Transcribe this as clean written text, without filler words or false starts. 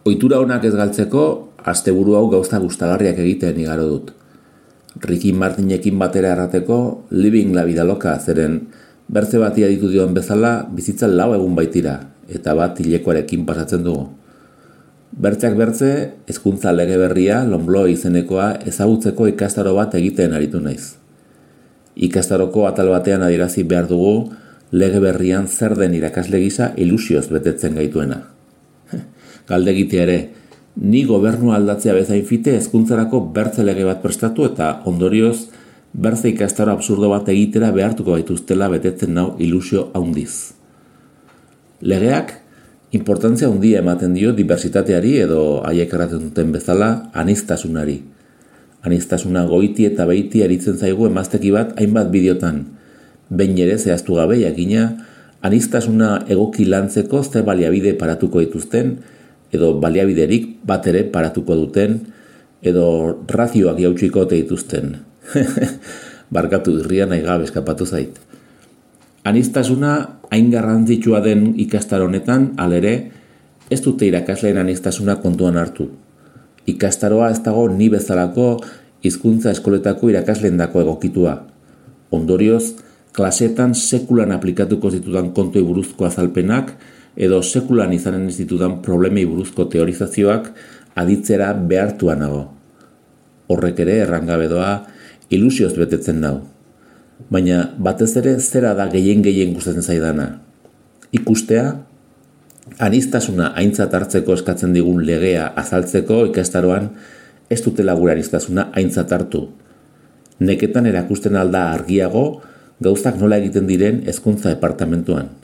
Ohitura onak ez galtzeko, asteburu hau gauza gustagarriak egiten igaro dut. Ricky Martinekin batera errateko, living la vida loca, zeren bertze bati aditu dioan bezala, bizitza 4 egun baitira, eta bat hilekoarekin pasatzen dugu. Bertzeak bertze, hezkuntza lege berria, Lonblo izenekoa ezagutzeko ikastaro bat egiten aritu naiz. Ikastaroko atal batean adierazi behar dugu, lege berrian zer den irakasle gisa ilusioz betetzen gaituena. Galdegitea ere, ni gobernua aldatzea bezain fite hezkuntzarako bertze lege bat prestatu eta ondorioz bertze ikastaro absurdo bat egitera behartuko gaituztela betetzen nau ilusio handiz. Legeak importantzia handia ematen dio diversitateari edo haiek erraten duten bezala aniztasunari. Aniztasuna goiti eta beiti aritzen zaigu emazteki bat hainbat bideotan. Behin ere zehaztu gabe jakina, aniztasuna egoki lantzeko ze baliabide paratuko dituzten, edo baliabiderik bat ere paratuko duten, edo razioak jautsiko dituzten. Barkatu irria nahi gabe eskapatu zait. Aniztasuna hain garrantzitsua den ikastaro honetan, halere, ez dute irakasleen aniztasuna kontuan hartu. Ikastaroa ez dago ni bezalako hizkuntza eskoletako irakasleendako egokitua. Ondorioz, klasetan sekulan aplikatuko zitudan kontuei buruzko azalpenak edo sekulan izanen ez ditudan problemei buruzko teorizazioak aditzera behartua nago. Horrek ere errangabe doa ilusioz betetzen nau. Baina batez ere zera da gehien gustatzen zaidana. Ikustea, aniztasuna aintzat hartzeko eskatzen digun legea azaltzeko ikastaroan ez dutela gure aniztasuna aintzat hartu. Neketan erakusten alda argiago gauzak nola egiten diren hezkuntza departamentuan.